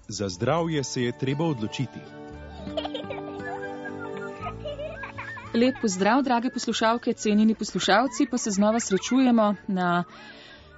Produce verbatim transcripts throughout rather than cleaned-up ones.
Za zdravje se je treba odločiti. Lep pozdrav, drage poslušalke, cenjeni poslušalci, pa se znova srečujemo na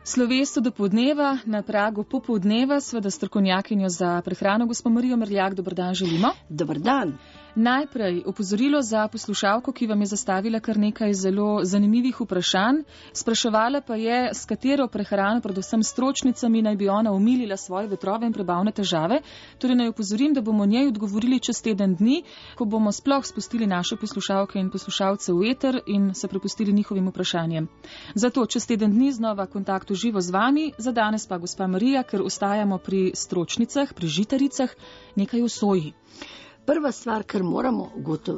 slovesu dopoldneva, na pragu popoldneva, seveda strokovnjakinjo za prehrano, gospo Marijo Merljak. Dober dan želimo. Dober dan. Najprej opozorilo za poslušalko, ki vam je zastavila kar nekaj zelo zanimivih vprašanj. Spraševala pa je, s katero prehrano, predvsem stročnicami, naj bi ona omilila svoje vetrove in prebavne težave. Torej naj opozorim, da bomo njej odgovorili čez teden dni, ko bomo sploh spustili naše poslušalke in poslušalce v eter in se prepustili njihovim vprašanjem. Zato čez teden dni znova kontakt v živo z vami. Za danes pa, gospa Marija, ker ostajamo pri stročnicah, pri žitaricah, nekaj o soji. Prva stvar, kar moramo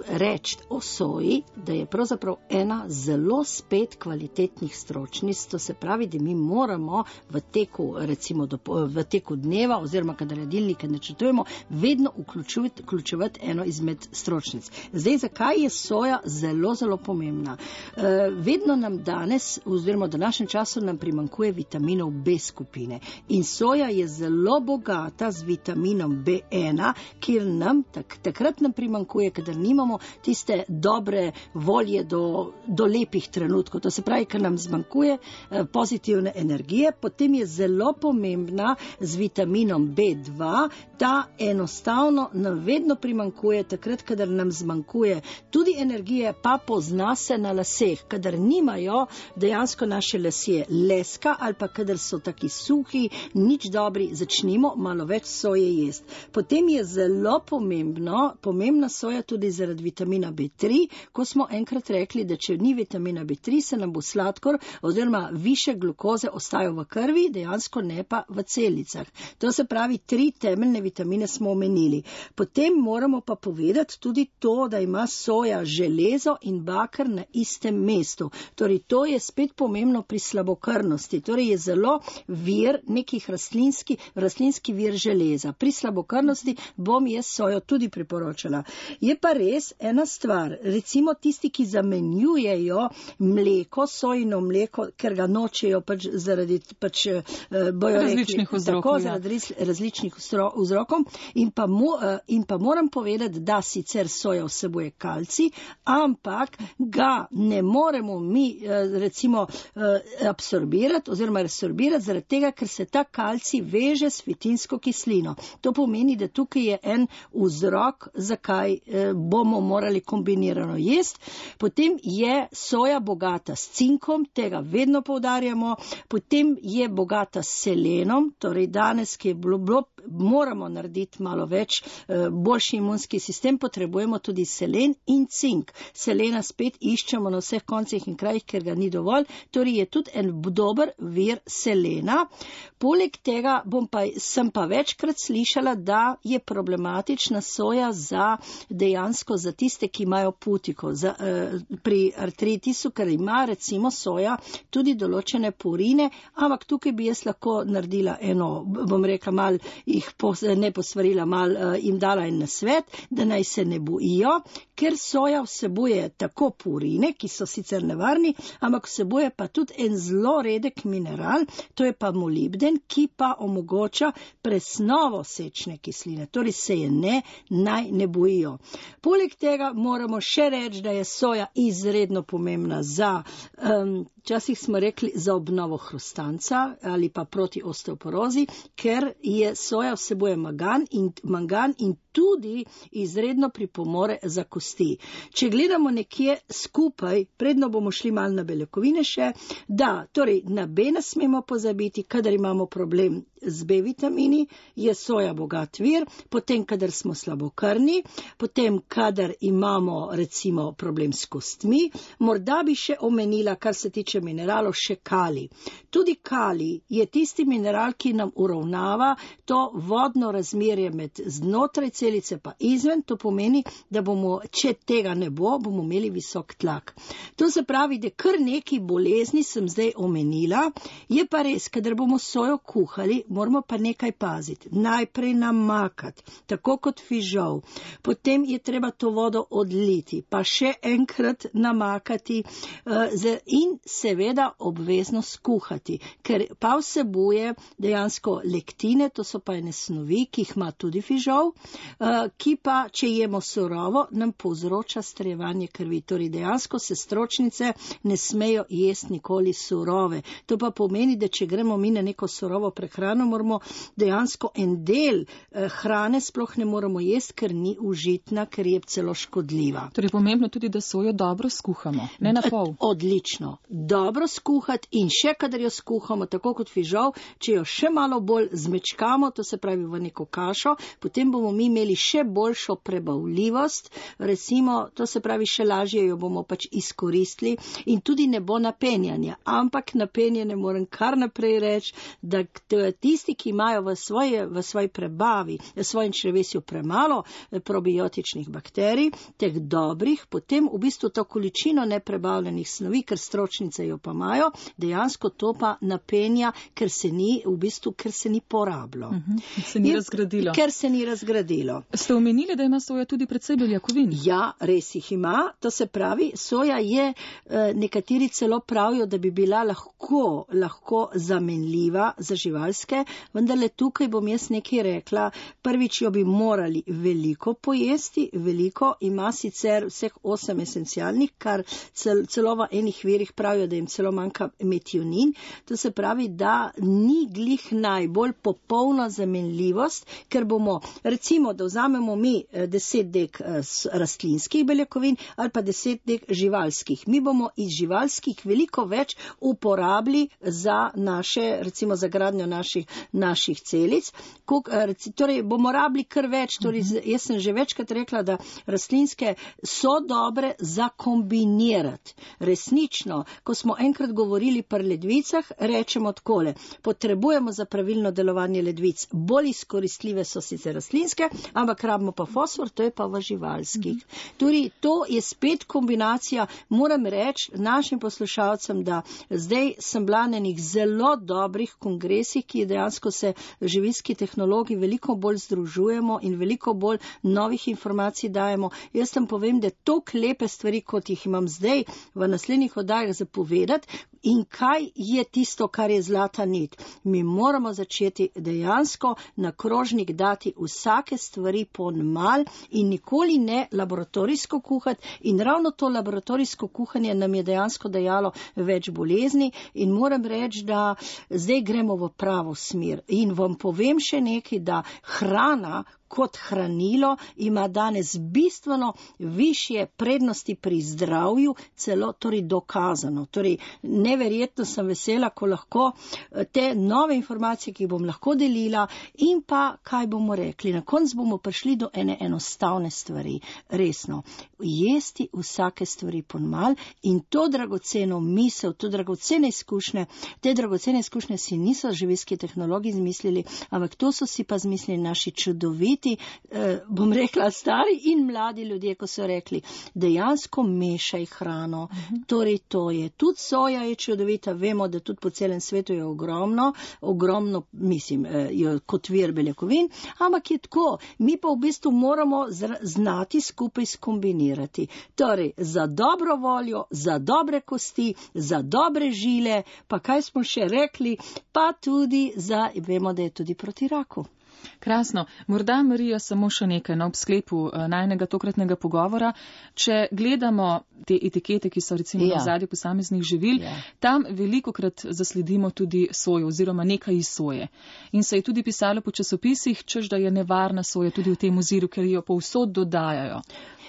reči o soji, da je pravzaprav ena zelo spet kvalitetnih stročnic, to se pravi, da mi moramo v teku, recimo do, v teku dneva oziroma kadar jedilnike načrtujemo, vedno vključevati, vključevati eno izmed stročnic. Zdaj, zakaj je soja zelo, zelo pomembna? E, vedno nam danes, oziroma v današnjem času nam primanjkuje vitaminov B skupine in soja je zelo bogata z vitaminom B ena, kjer nam tak takrat nam primanjkuje, kadar nimamo tiste dobre volje do, do lepih trenutkov. To se pravi, ker nam zmanjkuje eh, pozitivne energije, potem je zelo pomembna z vitaminom B dva, ta enostavno nam vedno primanjkuje, takrat, kadar nam zmanjkuje tudi energije, pa pozna se na laseh, kadar nimajo dejansko naše lasje leska ali pa kadar so taki suhi, nič dobri, začnimo malo več soje jesti. Potem je zelo pomembno pomembna soja tudi zaradi vitamina B tri, ko smo enkrat rekli, da če ni vitamina B tri, se nam bo sladkor oziroma više glukoze ostajajo v krvi, dejansko ne pa v celicah. To se pravi, tri temeljne vitamine smo omenili. Potem moramo pa povedati tudi to, da ima soja železo in baker na istem mestu. Torej, to je spet pomembno pri slabokrvnosti. Torej, je zelo vir nekih rastlinski, rastlinski vir železa. Pri slabokrvnosti bom jaz sojo tudi priporočala. Je pa res ena stvar, recimo tisti, ki zamenjujejo mleko, sojino mleko, ker ga nočejo pač zaradi pač, bojo različnih rekli, vzrokov, tako, ja. zaradi različnih vzrokov in pa, mo, in pa moram povedati, da sicer soja vsebuje kalcij, ampak ga ne moremo mi recimo absorbirati oziroma resorbirati zaradi tega, ker se ta kalcij veže s fitinsko kislino. To pomeni, da tukaj je en vzrok, zakaj eh, bomo morali kombinirano jesti. Potem je soja bogata s cinkom, tega vedno poudarjamo, potem je bogata s selenom, torej danes, ki je bilo, bilo moramo narediti malo več, eh, boljši imunski sistem, potrebujemo tudi selen in cink. Selena spet iščemo na vseh koncih in krajih, ker ga ni dovolj, torej je tudi en dober vir selena. Poleg tega bom pa, sem pa večkrat slišala, da je problematična soja za dejansko za tiste, ki imajo putiko, za, eh, pri artritisu, ker ima recimo soja tudi določene purine, ampak tukaj bi jaz lahko naredila eno, bom rekla mal, jih pos, ne posvarila mal, eh, jim dala en nasvet, da naj se ne bojijo, ker soja vsebuje tako purine, ki so sicer nevarni, ampak vsebuje pa tudi en zelo redek mineral, to je pa molibden, ki pa omogoča presnovo sečne kisline, torej se je ne, naj ne bojijo. Poleg tega moramo še reči, da je soja izredno pomembna za, um, včasih smo rekli, za obnovo hrustanca ali pa proti osteoporozi, ker je soja vsebuje mangan in, mangan in tudi izredno pripomore za kosti. Če gledamo nekje skupaj, predno bomo šli malo na beljakovine še, da, torej na B ne smemo pozabiti, kadar imamo problem z B vitamini, je soja bogat vir, potem kadar smo slabokrvni, potem kadar imamo recimo problem s kostmi, morda bi še omenila, kar se tiče mineralov, še kalij. Tudi kalij je tisti mineral, ki nam uravnava to vodno razmerje med znotraj celice pa izven, to pomeni, da bomo če tega ne bo, bomo imeli visok tlak. To se pravi, da kar neki bolezni sem zdaj omenila, je pa res, kadar bomo sojo kuhali, moramo pa nekaj paziti. Najprej namakati, tako kot fižol. Potem je treba to vodo odliti, pa še enkrat namakati in seveda obvezno skuhati, ker pa vsebuje dejansko lektine, to so pa ene snovi, ki jih ima tudi fižol, ki pa, če jemo surovo, nam povzroča strjevanje krvi. Torej dejansko se stročnice ne smejo jesti nikoli surove. To pa pomeni, da če gremo mi na neko surovo prehrano, moramo dejansko en del hrane sploh ne moramo jesti, ker ni užitna, ker je celo škodljiva. Torej pomembno tudi, da sojo dobro skuhamo, ne na pol. Odlično. Dobro skuhati in še kadar jo skuhamo, tako kot fižol, če jo še malo bolj zmečkamo, to se pravi v neko kašo, potem bomo mi imeli še boljšo prebavljivost, recimo, to se pravi še lažje jo bomo pač izkoristili in tudi ne bo napenjanja. Ampak napenjanje moram kar naprej reči, da tisti, ki imajo v svoje, v svoji prebavi, v svojem črevesju premalo probiotičnih bakterij, teh dobrih, potem v bistvu to količino neprebavljenih snovi, ker stročnice jo pa imajo, dejansko to pa napenja, ker se ni, v bistvu, ker se ni porabilo. Uh-huh. Se ni in, razgradilo. Ker se ni razgradilo. Ste omenili, da ima soja tudi precej beljakovin? Ja, res jih ima. To se pravi, soja je, nekateri celo pravijo, da bi bila lahko, lahko zamenljiva za živalske, vendar le tukaj bom jaz nekaj rekla. Prvič jo bi morali veliko pojesti, veliko, ima sicer vseh osem esencialnih, kar cel, celo v enih virih pravijo, da jim celo manjka metionin. To se pravi, da ni glih najbolj popolna zamenljivost, ker bomo, recimo, da vzamemo mi deset dek rastlinskih beljakovin ali pa deset dek živalskih. Mi bomo iz živalskih veliko več uporabili za naše, recimo za gradnjo naših, naših celic. Kuk, torej bomo rabili kar več, torej jaz sem že večkrat rekla, da rastlinske so dobre za kombinirati. Resnično, ko smo enkrat govorili pri ledvicah, rečemo takole, potrebujemo za pravilno delovanje ledvic, bolj izkoristljive so sicer rastlinske, ampak rabimo pa fosfor, to je pa v živalskih. Mm-hmm. Torej, to je spet kombinacija, moram reči našim poslušalcem, da zdaj sem bila na enih zelo dobrih kongresih, ki dejansko se živilski tehnologi veliko bolj združujemo in veliko bolj novih informacij dajemo. Jaz tam povem, da toliko lepe stvari, kot jih imam zdaj v naslednjih oddajah zapovedati, in kaj je tisto, kar je zlata nit. Mi moramo začeti dejansko na krožnik dati vsake stvari ponmal in nikoli ne laboratorijsko kuhati. In ravno to laboratorijsko kuhanje nam je dejansko dajalo več bolezni in moram reči, da zdaj gremo v pravo smer. In vam povem še nekaj, da hrana kot hranilo ima danes bistveno višje prednosti pri zdravju, celo torej dokazano. Torej, neverjetno sem vesela, ko lahko te nove informacije, ki jih bom lahko delila in pa, kaj bomo rekli. Na koncu bomo prišli do ene enostavne stvari. Resno, jesti vsake stvari ponmal in to dragoceno misel, to dragocene izkušnje, te dragocene izkušnje si niso živilski tehnologi izmislili, ampak to so si pa izmislili naši čudoviti, Eh, bom rekla stari in mladi ljudje, ko so rekli, dejansko mešaj hrano. Uh-huh. Torej to je, tudi soja je čudovita, vemo, da tudi po celem svetu je ogromno, ogromno, mislim, eh, je kot vir beljakovin, ampak je tako, mi pa v bistvu moramo zra, znati skupaj skombinirati. Torej, za dobro voljo, za dobre kosti, za dobre žile, pa kaj smo še rekli, pa tudi za, vemo, da je tudi proti raku. Krasno. Morda, Marija, samo še nekaj na obsklepu najnega tokratnega pogovora. Če gledamo te etikete, ki so recimo ja. na zadnji posameznih živil, ja. tam velikokrat zasledimo tudi sojo oziroma nekaj iz soje. In se je tudi pisalo po časopisih, češ da je nevarna soja tudi v tem oziru, ker jo povsod dodajajo.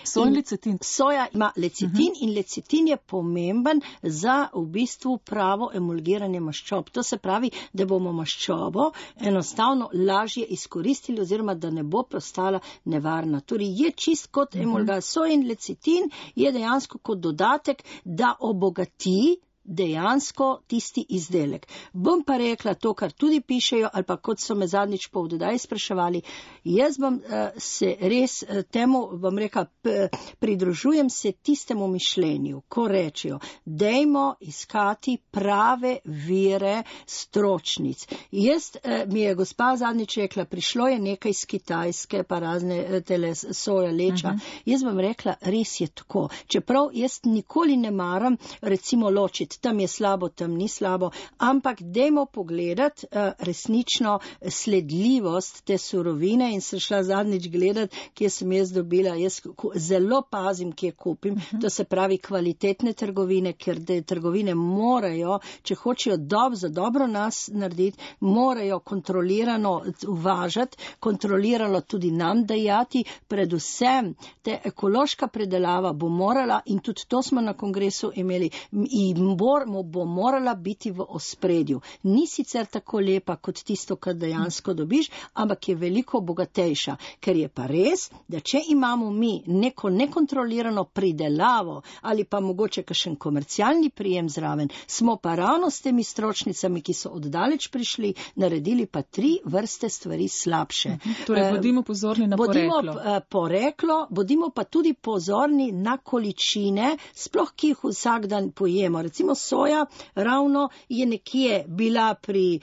Soja in lecitin. Soja ima lecitin uh-huh. in lecitin je pomemben za v bistvu pravo emulgiranje maščob. To se pravi, da bomo maščobo enostavno lažje izkoristili oziroma da ne bo postala nevarna. Torej je čist kot uh-huh. emulga. Soja in lecitin je dejansko kot dodatek, da obogati dejansko tisti izdelek. Bom pa rekla to, kar tudi pišejo, ali pa kot so me zadnjič po vdodaj spraševali, jaz bom uh, se res uh, temu, bom rekla, p- pridružujem se tistemu mišljenju, ko rečejo, dejmo iskati prave vire stročnic. Jaz, uh, mi je gospa zadnjič rekla, prišlo je nekaj iz Kitajske, pa razne uh, tele soja, leča. Uh-huh. Jaz bom rekla, res je tako. Čeprav jaz nikoli ne maram, recimo ločiti, tam je slabo, tam ni slabo, ampak dejmo pogledati uh, resnično sledljivost te surovine in sem šla zadnjič gledati, kje sem jaz dobila. Jaz zelo pazim, kje kupim. Uh-huh. To se pravi kvalitetne trgovine, ker te trgovine morajo, če hočejo dob, za dobro nas narediti, morajo kontrolirano uvažati, kontrolirano tudi nam dajati, predvsem te ekološka predelava bo morala, in tudi to smo na kongresu imeli, in bo, bo morala biti v ospredju. Ni sicer tako lepa kot tisto, kar dejansko dobiš, ampak je veliko bogatejša, ker je pa res, da če imamo mi neko nekontrolirano pridelavo ali pa mogoče kakšen komercialni prijem zraven, smo pa ravno s temi stročnicami, ki so oddaleč prišli, naredili pa tri vrste stvari slabše. Torej, bodimo pozorni na bodimo, poreklo. poreklo. Bodimo pa tudi pozorni na količine, sploh ki jih vsak dan pojemo. Recimo soja ravno je nekje bila pri,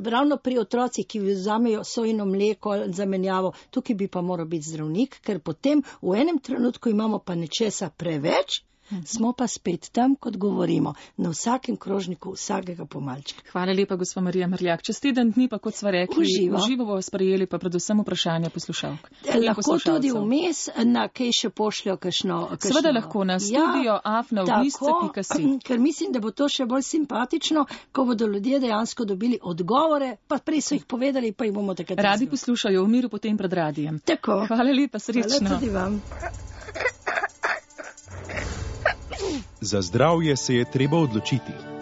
ravno pri otrocih, ki vzamejo sojino mleko zamenjavo. Tukaj bi pa moral biti zdravnik, ker potem v enem trenutku imamo pa nečesa preveč, smo pa spet tam, kot govorimo, na vsakem krožniku vsakega pomalčka. Hvala lepa, gospa Marija Mrljak. Čez teden dni pa, kot sva rekli, uživo, uživo bomo sprejeli pa predvsem vprašanje poslušalk. Lahko tudi vmes na kaj še pošljajo kakšno. Seveda lahko na studio ja, afna v listce pika si. Ker mislim, da bo to še bolj simpatično, ko bodo ljudje dejansko dobili odgovore, pa prej so jih povedali, pa jih bomo takrat. Radi poslušajo v miru potem pred radijem. Tako. Hvala lepa, srečno. Hvala tudi vam. Za zdravje se je treba odločiti.